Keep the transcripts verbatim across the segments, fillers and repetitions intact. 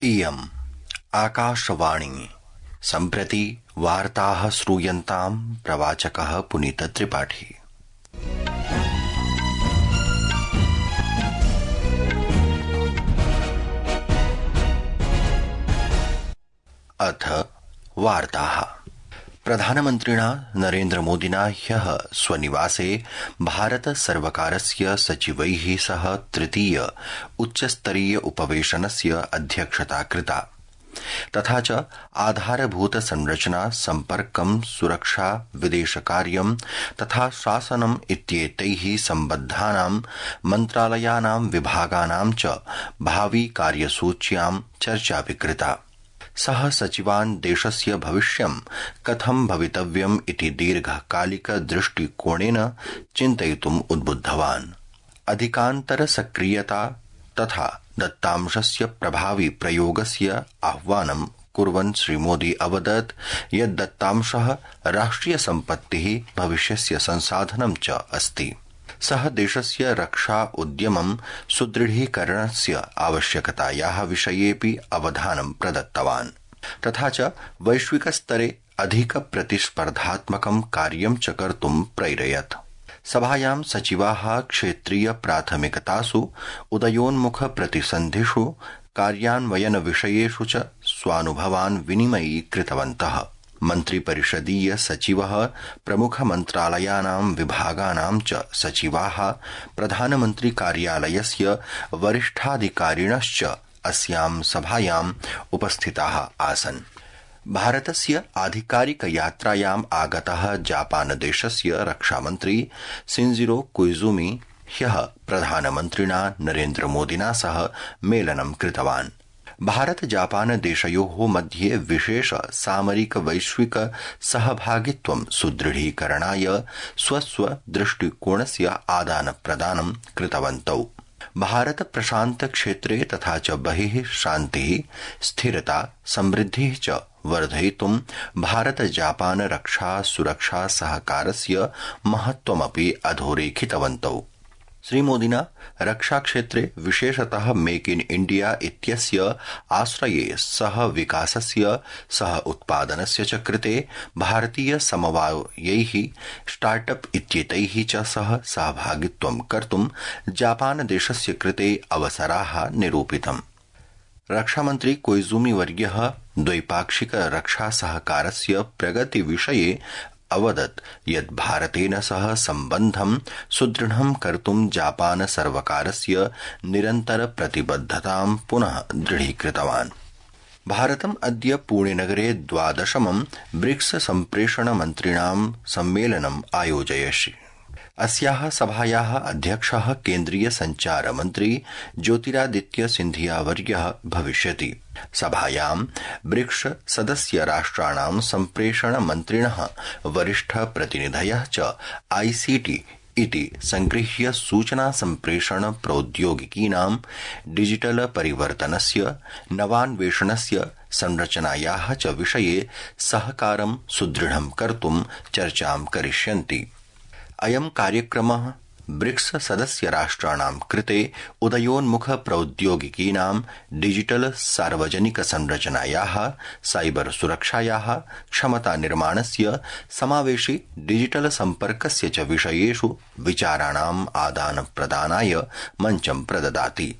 इयम् आकाशवाणी सम्प्रति वार्ताः श्रूयन्ताम् प्रवाचकः पुनीत त्रिपाठी। अथ वार्ताः। प्रधानमन्त्रिणा नरेन्द्रमोदिना ह्यः स्वनिवासे भारत सर्वकारस्य सचिवैः सह तृतीय उच्चस्तरीय उपवेशनस्य अध्यक्षता कृता। तथा च आधारभूत संरचना, सम्पर्कं, सुरक्षा, विदेशकार्यं तथा शासनम् इत्येतैः सम्बद्धानां मन्त्रालयानां विभागानां च भावि कार्यसूच्यां चर्चा विकृता। सः सचिवान् देशस्य भविष्यं कथं भवितव्यम् इति दीर्घकालिक दृष्टिकोणेन चिन्तयितुम् उद्बुद्धवान्। अधिकान्तर सक्रियता तथा दत्तांशस्य प्रभावी प्रयोगस्य आह्वानं कुर्वन् श्रीमोदी अवदत् यत् दत्तांशः राष्ट्रिय सम्पत्तिः, भविष्यस्य संसाधनं च अस्ति। सः देशस्य रक्षा उद्यमं सुदृढीकरणस्य आवश्यकतायाः विषयेऽपि अवधानं प्रदत्तवान्। तथा च वैश्विकस्तरे अधिक प्रतिस्पर्धात्मकं कार्यं च कर्तुं प्रैरयत्। सभायां सचिवाः क्षेत्रीय प्राथमिकतासु, उदयोन्मुख प्रतिसन्धिषु, कार्यान्वयन विषयेषु च स्वानुभवान् विनिमयीकृतवन्तः। मन्त्रिपरिषदीय सचिवः, प्रमुख मन्त्रालयानां विभागानां च सचिवाः, प्रधानमन्त्री कार्यालयस्य वरिष्ठाधिकारिणश्च अस्यां सभायाम् उपस्थिताः आसन्। भारतस्य आधिकारिक यात्रायाम् आगतः जापानदेशस्य रक्षामन्त्री शिंजिरो कोइजुमी ह्यः प्रधानमन्त्रिणा नरेन्द्रमोदिना सह मेलनं कृतवान्। भारत जापान देशयोः मध्ये विशेष सामरिक वैश्विक सहभागित्वं सुदृढीकरणाय स्वस्व दृष्टिकोणस्य आदान प्रदानं कृतवन्तौ। भारत प्रशान्त क्षेत्रे तथा च बहिः शान्तिः, स्थिरता, समृद्धिः च वर्धयितुं भारत जापान रक्षा सुरक्षा सहकारस्य महत्वमपि अधोरेखितवन्तौ। श्रीमोदिना रक्षाक्षेत्रे विशेषतः मेक इन इण्डिया इत्यस्य आश्रये सह विकासस्य, सह उत्पादनस्य च कृते भारतीय समवायैः, स्टार्टअप इत्येतैः च सह सहभागित्वं कर्तुं जापानदेशस्य कृते अवसराः निरूपितम्। रक्षामन्त्री कोइजुमी वर्यः द्वैपाक्षिक रक्षा सहकारस्य प्रगति विषये अवदत् यत् भारतेन सह सम्बन्धं सुदृढं कर्तुं जापान सर्वकारस्य निरन्तर प्रतिबद्धतां पुनः दृढीकृतवान्। भारतम् अद्य पुणेनगरे द्वादशमं ब्रिक्स सम्प्रेषण मन्त्रिणां सम्मेलनम् आयोजयति। अस्याः सभायाः अध्यक्षः केन्द्रीय संचार मन्त्री ज्योतिरादित्य सिन्धिया वर्यः भविष्यति। सभायां ब्रिक्स सदस्य राष्ट्राणां सम्प्रेषण मन्त्रिणः, वरिष्ठ प्रतिनिधयः च आईसीटी इति संगृह्य सूचना सम्प्रेषण प्रौद्योगिकीनां डिजिटल परिवर्तनस्य, नवान्वेषणस्य, संरचनायाः च विषये सहकारं सुदृढं कर्तुं चर्चां करिष्यन्ति। अयं कार्यक्रमः ब्रिक्स सदस्य राष्ट्राणां कृते उदयोन्मुख प्रौद्योगिकीनां, डिजिटल सार्वजनिक संरचनायाः, साइबर सुरक्षायाः, क्षमता निर्माणस्य, समावेशि डिजिटल सम्पर्कस्य च विषयेषु विचाराणाम् आदान प्रदानाय मञ्चं प्रददाति।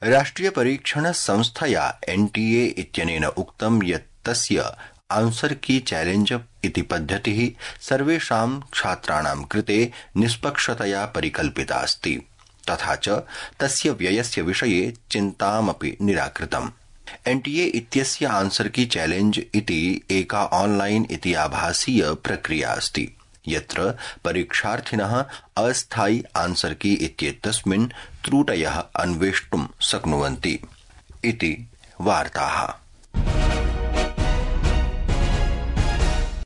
राष्ट्रिय परीक्षण संस्थया एनटीए इत्यनेन उक्तं यत् तस्य आंसर की चैलेंज इति पद्धतिः सर्वेषां छात्राणां कृते निष्पक्षतया परिकल्पिता अस्ति। तथा च तस्य व्ययस्य विषये चिन्तामपि निराकृतम्। एनटीए इत्यस्य आंसर की चैलेंज इति एका ऑनलाइन इति आभासीय प्रक्रिया अस्ति, यत्र परीक्षार्थिनः अस्थायि आंसर की इत्येतस्मिन् त्रुटयः अन्वेष्टुं शक्नुवन्ति इति वार्ताः।